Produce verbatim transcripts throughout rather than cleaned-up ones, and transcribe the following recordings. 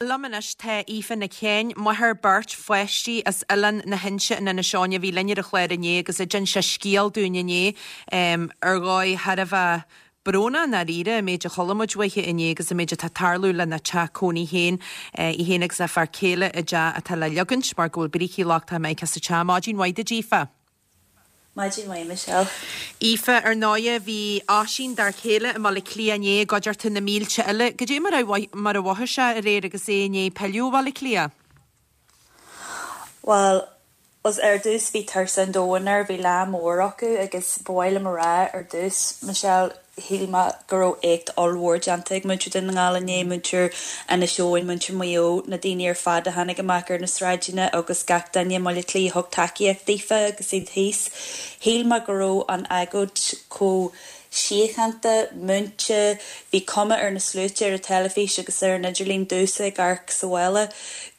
Liom anois tá Aoife Nic Sheáin, máthair beirt pháistí as Oileán na hInse in Inis Eoghain a bhí linn ar an chlár inné agus a d'inis a scéal dúinn inné ar dhóigh thar a bheith brónach i ndáiríre an méid a chuala muid uaithi inné agus an méid atá ag tarlú lena teach cónaí féin í féin agus a fear céile i dteach atá le leagaint mar go bhfuil brící lochtacha amach as an teach. Maidin mhaith duit Aoife. Maidin mhaith Michelle. Aoife ar ndóigh bhí Oisín d'fhear céile i mBaile Átha Cliath inné i gcuideachta na mílte eile. Cad é mar a mar a mhothaigh sé aréir agus é i ndiaidh pilleadh ó Bhaile Átha Cliath? Well, os ar dtús bhí tuirse an domhain air, bhí lá mór acu agus ba mhaith liom a rá ar dtús Michelle shíl mé go raibh éacht ollmhór déanta ag muintir Dhún na nGall inné, muintir Inis Eoghain, muintir Mhaigh Eo, na daoine ar fad a tháinig amach ar na sráideanna agus gach duine i mBaile Átha Cliath thug tacaíocht daofa agus iad thíos. Shíl mé go raibh an agóid chomh síochánta, múinte, bhí cuma ar na sluaite ar an teilifís agus ar an idirlíon domhsa ag amharc sa bhaile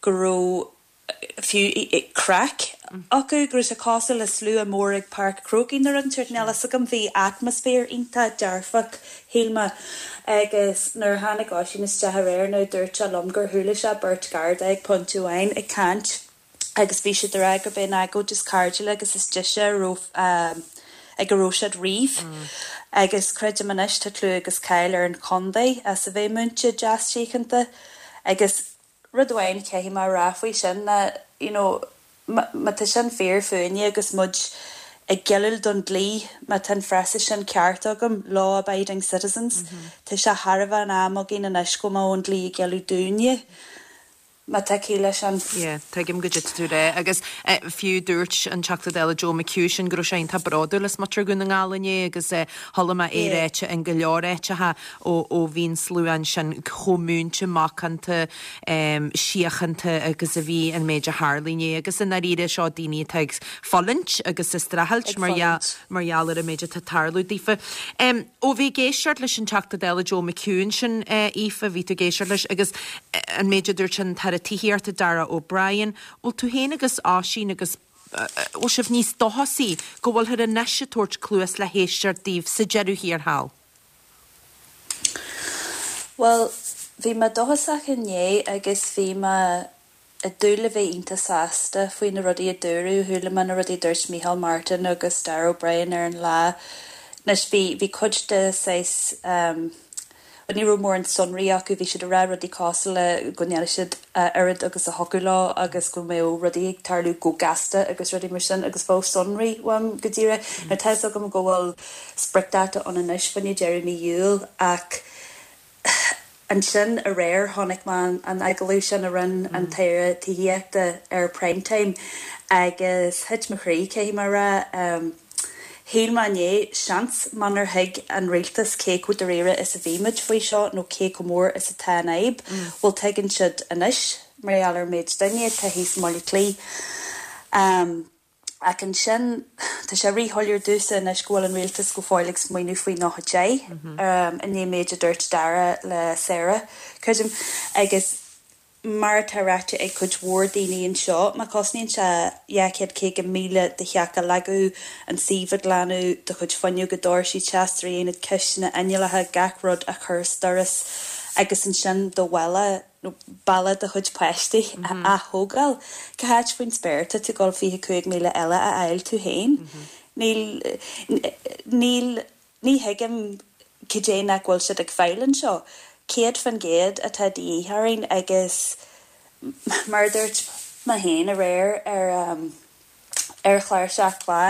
go raibh fiú craic acu go raibh sé cosúil le slua mór ag Páirc an Chrócaigh nó rud inteacht níl a fhios agam bhí atmaisféar iontach dearfach shíl mé agus nuair a tháinig Oisín isteach aréir nó dúirt sé liom gur chuala sé beirt Garda ag pointe amháin ag caint agus bhí siad ag rá gurb é an agóid is cairdiúla agus is deise a raibh ag a raibh siad riamh. Agus creidim anois tá clú agus cáil ar an chontae as a bheith múinte deas síochánta agus rud amháin caithfidh mé rá faoi sin ná you know má tá sin fíor fúinne agus muid ag géilleadh don dlí má tá an frása sin ceart agam law abiding citizens Tá sé thar a bheith in am againn anois go mbeadh an dlí ag géilleadh dúinne. Má tá ciall leis sin. Yeah, tuigim cad tá tú a rá agus eh, fiú dúirt an Teachta Dála Joe McHugh sin go raibh sé iontach bródúil as muintir Dhún na nGall inné agus eh, chuala mé é ráite in go leor áiteacha ó ó bhí an slua sin chomh múinte macánta um, síochánta agus a bhí an méid a tharla inné agus i ndáiríre seo daoine atá ag fulaingt agus ag streachailt mar mar gheall ar an méid atá ag tarlú daofa. Um, ó bhí ag éisteacht leis an Teachta Dála Joe McHugh sin uh, Aoife bhí tú ag éisteacht leis agus an méid a dúirt an tAire Tithíochta Darragh O'Brien, bhfuil tú féin agus Oisín agus bhfuil sibh níos dóchasaí go bhfuilthear anois ag tabhairt cluas le héisteacht daoibh sa deireadh thiar thall. Well, bhí mé dóchasach inné agus bhí mé ag dúil le bheith iontach sásta faoi na rudaí a dúradh chuala mé na rudaí a dúirt Micheál Martin agus Darragh O'Brien ar an lá. Anois bhí bhí cuid de saghas um, ní raibh mórán sonraí acu bhí siad ag rá rudaí cosúil le go ndéanfaidh siad oiread agus a thiocfadh leo agus go mbeadh rudaí ag tarlú go gasta agus rudaí mar sin agus bheadh sonraí uaim go díreach. Mm. Tá agam go bhfuil spriocdháta ann anois faoi dheireadh mí Iúil ach ansin aréir chonaic mé an agallamh sin a rinne an tAire Tithíochta ar Primetime agus thit mo chroí caithfidh mé a rá. Um, Shíl mé inné seans munar thuig an rialtas cé chomh dáiríre is a bhí muid faoi seo nó cé chomh mór is atá an fhadhb, bhfuil tuigeann siad anois mar gheall ar méid duine tá thíos i mBaile Átha Cliath. Um, ach ansin tá sé ríshoiléir domhsa anois go bhfuil an rialtas go fóill ag smaoineamh faoi nócha deich um, inné méid a dúirt Darragh le Sarah creidim agus mar atá ráite ag cuid mhór daoine anseo, má cosnaíonn sé dhá chéad caoga míle do theach a leagadh, an suíomh a ghlanadh, do chuid fuinneoga doirsí teascairí aonad cistine inneallacha gach rud a chur as doras agus ansin do bhalla nó balla do chuid páistí a atógáil. Cá háit faoin spéir tá tú dul fiche cúig míle eile a fháil tú féin. Níl níl ní thuigim cad é nach bhfuil siad ag fáil anseo. Céad faoin gcéad atá de dhíth orainn agus mar a dúirt mé féin aréir ar um, ar chlár Seacht Lá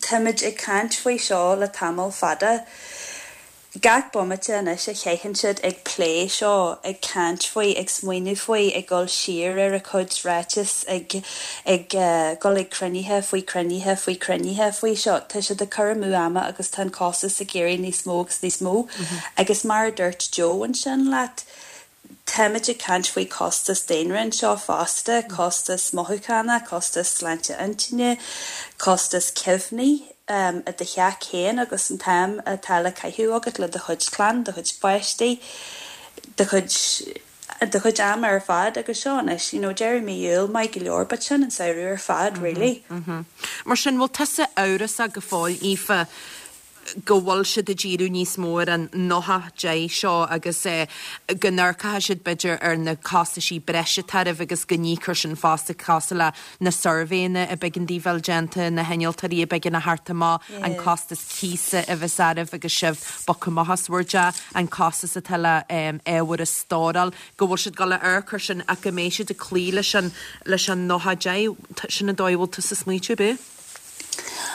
táimid ag caint faoi seo le tamall fada. Gach bomaite anois a chaitheann siad ag plé seo, ag caint faoi, ag smaoineamh faoi, ag dul siar ar a cuid ráiteas, ag ag uh, dul ag cruinnithe faoi cruinnithe faoi cruinnithe faoi seo. Tá siad ag cur amú ama agus tá an costas ag éirí níos mó agus níos mó. Agus mar a dúirt Joe ansin leat, táimid ag caint faoi costas daonra anseo fosta, costas mothúchánach, costas sláinte intinne, costas cuimhní um, i do theach féin agus an t-am atá le caitheamh agat le do chuid clann, do chuid páistí, do chuid do chuid am ar fad agus seo anois, you know, deireadh mí Iúil maith go leor, but sin an samhradh ar fad, really. Mm -hmm. Mar sin bhfuil tusa amhrasach go fóill Aoife go bhfuil siad ag díriú níos mó ar an nócha deich seo agus go n-amharcfaidh siad b'fhéidir ar na costaisí breise atá oraibh agus go n-íocfar sin fosta cosúil le na suirbhéanna a b'éigean daoibh a bheith déanta, na hinnealtóirí a b'éigean a theacht amach, an costas cíosa a bheas oraibh agus sibh bogtha amach as bhur dteach, an costas atá le ábhar a stóráil, go bhfuil siad ag dul a amharc air sin ach go mbeidh siad ag cloí leis an leis an nócha deich, sin an dóigh a bhfuil tusa ag smaointiú, ab ea?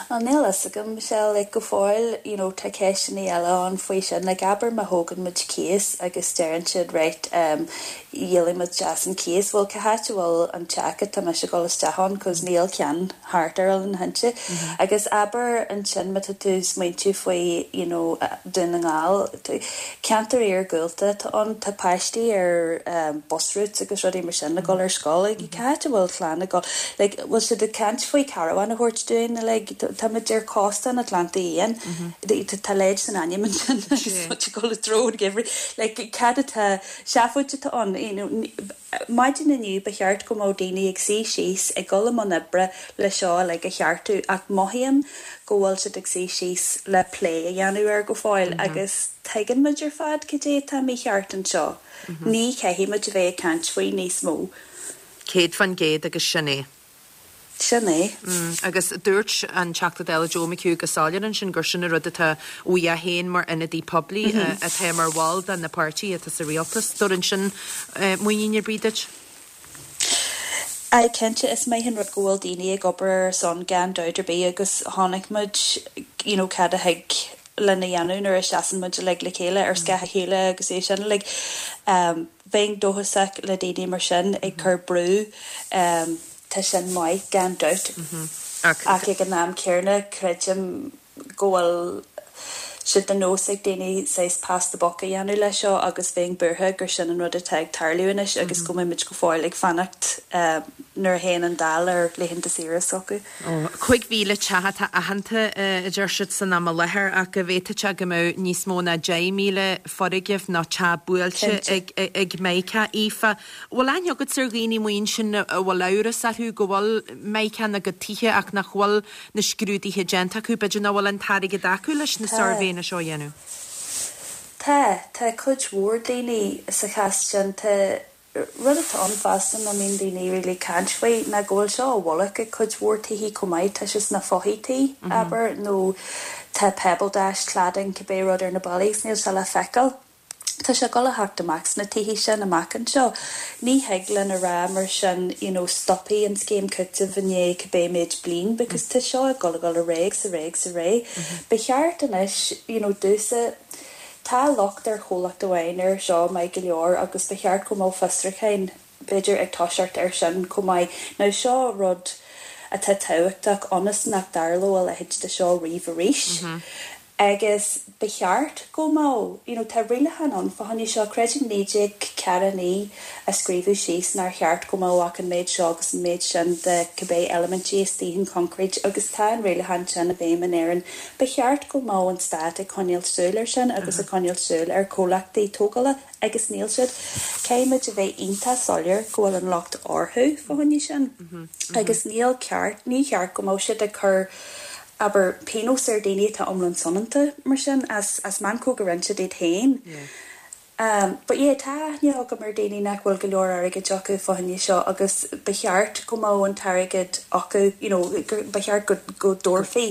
Bhuel, níl a fhios agam, Michelle, like go fóill, you know, tá ceisteanna eile ann faoi sin, like abair má thógann muid cíos agus deireann siad right, um, dhíolfaidh muid as an cíos, bhuel cá háit a bhfuil an teach atá mise ag dul isteach ann cos níl ceann thart ar Oileán na hInse. Agus abair ansin má tá tú ag smaointiú faoi, you know, Dún na nGall, ceantar iargúlta atá ann, tá páistí ar um, bus routes agus rudaí mar sin ag dul ar scoil, like cá háit a bhfuil clann ag dul, like bhfuil siad ag caint faoi caravan a thabhairt dúinn, like táimid ar chósta an Atlantaigh Fhiáin, tá leid san ainm ansin agus muid ag dul i dtreo an gheimhridh, like cad atá seafóid atá ann, you know, maidin inniu ba cheart go mbeadh daoine ag suí síos ag dul i mbun oibre le seo like a cheartú ach mothaím go bhfuil siad ag suí síos le plé a dhéanamh air go fóill agus tuigeann muid ar fad cad é atá mícheart anseo. Ní chaithfidh muid a bheith ag caint faoi níos mó. Céad faoin gcéad agus sin é. Sin é. Agus dúirt an Teachta Dála Joe McHugh go soiléir ansin gur sin an rud atá uaidh féin mar ionadaí poiblí atá mar bhall de na páirtí atá sa rialtas. Dúirt sin muinín ar bith duit? Aye, cinnte is maith an rud go bhfuil daoine ag obair ar son gan dabht ar bith agus chonaic muid you know, cad a thig lena dhéanamh nuair a seasann muid uilig le chéile ar scáth a chéile agus é sin like, um, bheinn dóchasach le daoine mar sin ag cur brú um, tá sin maith gan dabht ach ag an am céanna creidim go bhfuil sé de nós ag daoine saghas pass the buck a dhéanamh leis seo agus bheinn buartha gur sin an rud atá ag tarlú anois agus go mbeidh muid go fóill ag fanacht um, nuair a théann an Dáil ar laethanta saoire s'acu. Cúig mhíle teach atá aitheanta a deir siad san am i láthair ach go bhféadfadh sé go mbeadh níos mó ná deich míle foirgneamh nó teach buailte ag ag Mica Aoife. Bhfuil aithne agat ar dhaoine muin sin a bhfuil amhras orthu go bhfuil Mica ina gcuid tithe ach nach bhfuil na scrúduithe déanta acu, b'fhéidir nach bhfuil an t-airgead acu leis na suirbhéanna seo a dhéanamh. Tá tá cuid mhór daoine sa chás sin tá rud atá ann fosta nach mbíonn daoine really caint faoi ná go bhfuil seo i bhfolach ag cuid mhór tithe chomh maith tá sé sna fothaití abair nó tá pebble dash cladding cibé rud ar na ballaí níl sé le feiceáil. Tá sé ag dul a theacht amach sna tithe sin amach anseo. Ní thig linn a rá mar sin you know, stopfaidh an scéim cúitimh i ndiaidh cibé méid bliain because tá seo ag dul ag dul ar aghaidh sa réig sa ré. Ba cheart anois you know, dúsa tá locht ar chomhlacht amháin ar seo maith go leor agus ba cheart go mbeadh fiosrúcháin b'fhéidir ag toiseacht ar sin chomh maith. Now seo rud atá tábhachtach ionas nach dtarlódh a leithéid de seo riamh arís. Mm -hmm. Agus ba cheart go mbeadh you know, tá rialacháin ann fá choinne seo creidim naoi déag ceathair naoi a scríobhadh síos nár cheart go mbeadh ach an méid seo agus an méid sin de cibé eilimintí istigh in concrete agus tá an rialachán sin i bhfeidhm in Éirinn. Ba cheart go mbeadh an stát ag coinneáil súil ar sin agus ag coinneáil súil ar chomhlachtaí tógála agus níl siad. Caithfimid a bheith iontach soiléir go bhfuil an locht orthu fá choinne sin. Agus níl ceart ní cheart go mbeadh siad ag cur abair pionós ar daoine atá iomlán soineanta mar sin as as meancóg a rinne siad iad féin. Um, but yeah, tá aithne agam ar daoine nach bhfuil go leor airgid acu fá choinne seo agus ba cheart go mbeadh an t-airgead acu you know, ba cheart go, go dtabharfaí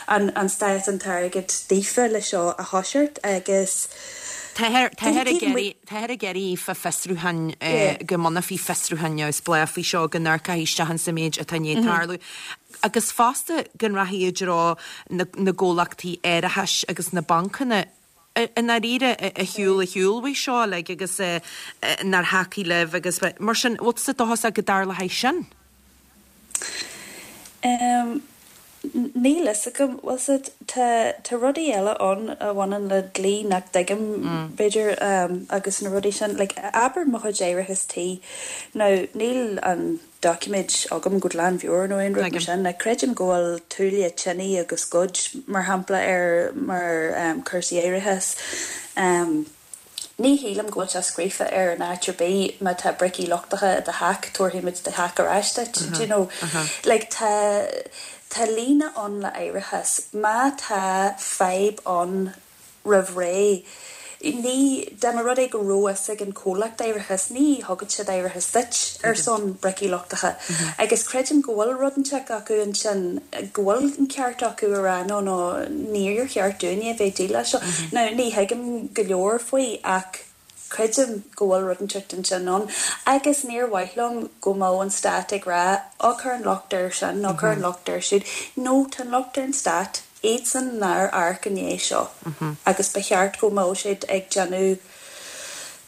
an, an stát an t-airgead daofa le seo a thoiseacht agus Táthar ag iarraidh fa fiosrúchán go mbunófaí fiosrúchán neamhspleách faoi seo go n-amharcfaí isteach sa méid atá i ndiaidh tarlú. Agus fosta go rachaí i dtreo na gcomhlachtaí árachais agus na bancanna i ndáiríre a shiúil a shiúil uaidh seo like, agus nár thacaigh libh agus mar sin bhfuil tusa dóchasach go dtarlóidh sin? Um, Níl a fhios agam bhfuil tá tá rudaí eile ann a bhaineann le dlí nach dtuigim b'fhéidir um, agus na rudaí sin like, abair mo chuid árachas tí nó níl an doiciméad agam go glanmheabhair nó aon rud mar sin na creidim go bhfuil tuaille tine agus goid mar shampla ar mar um, cúrsaí árachais. Um, Ní shílim go bhfuil sé scríofa ar an áit ar bith má tá bricí lochtacha i do theach tabharfaimid do theach ar ais duit, do you know like tá Tá líne ann le árachas. Má tá fadhb ann roimh ré, ní, dá mba rud é go raibh fhios ag an chomhlacht árachais, ní thugann siad árachas duit ar son bricí lochtacha. Agus creidim go bhfuil rud inteacht acu ansin, go bhfuil an ceart acu a rá no, no, níor cheart dúinne a bheith ag déileáil leis seo. Now, ní thuigim go leor faoi ach creidim go bhfuil rud inteacht ansin ann. Agus níor mhaith liom go mbeadh an stát ag rá, á cuir an locht air sin nó cuir an locht air siúd. No, tá an locht ar an stát. Iadsan nár amharc i ndiaidh seo agus ba cheart go mbeadh siad ag déanamh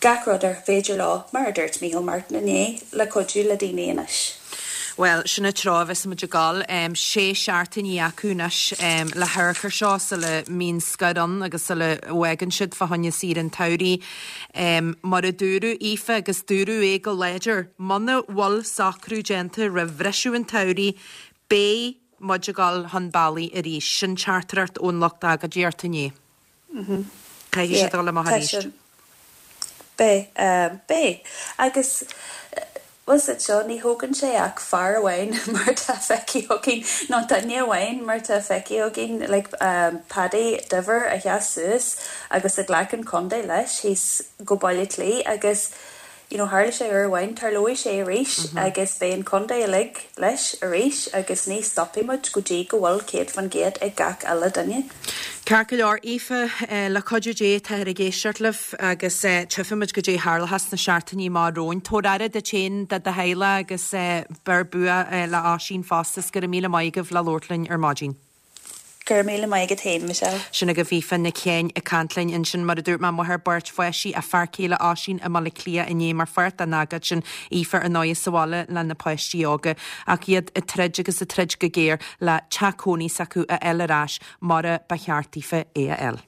gach rud ar féidir leo, mar a dúirt Micheál Martin inné, le cuidiú le daoine anois. Bhuel, sin an treo a bheas muid ag dul. Sé seachtainí acu anois le hamharc air seo sula mbíonn scor ann agus sula bhfágann siad fá choinne saoire an tsamhraidh. Mar a dúradh, Aoife, agus dúradh é go láidir, muna bhfuil socrú déanta roimh bhriseadh an tsamhraidh, beidh muid ag dul chun bealaigh arís. Sin teachtaireacht ón lucht agóidíochta inné. Caithfidh siad dul amach arís. Beidh. Beidh. Agus bhfuil fhios agat seo, ní thógann sé ach fear amháin mar atá feicthe againn, nó duine amháin mar atá feicthe againn, like Paddy Diver a sheas suas agus a ghlac an contae leis thíos go Baile Átha Cliath agus you know tharla sé uair amháin, tarlóidh sé arís agus beidh an contae uilig leis arís agus ní stopfaidh muid go dtí go bhfuil céad faoin gcéad ag gach uile duine. Ceart go leor, Aoife, le cuidiú Dé táthar ag éisteacht libh agus tchífimid goidé a tharlóchas sna seachtainí amach romhainn. Tabhair aire duit féin, do do theaghlach agus beir bua le Oisín fosta is go raibh míle maith agaibh le labhairt linn ar maidin. Go raibh míle maith agat féin, Michelle. Sin agaibh Aoife Nic Sheáin ag caint linn ansin, mar a dúirt mé, máthair beirt pháistí, a fear céile Oisín i mBaile Átha Cliath inné mar pháirt den agóid sin, Aoife ar ndóigh sa bhaile le na páistí óga ach iad ag troid agus ag troid go géar le teach cónaí s'acu a fháil ar ais mar a ba cheart daofa é a fháil.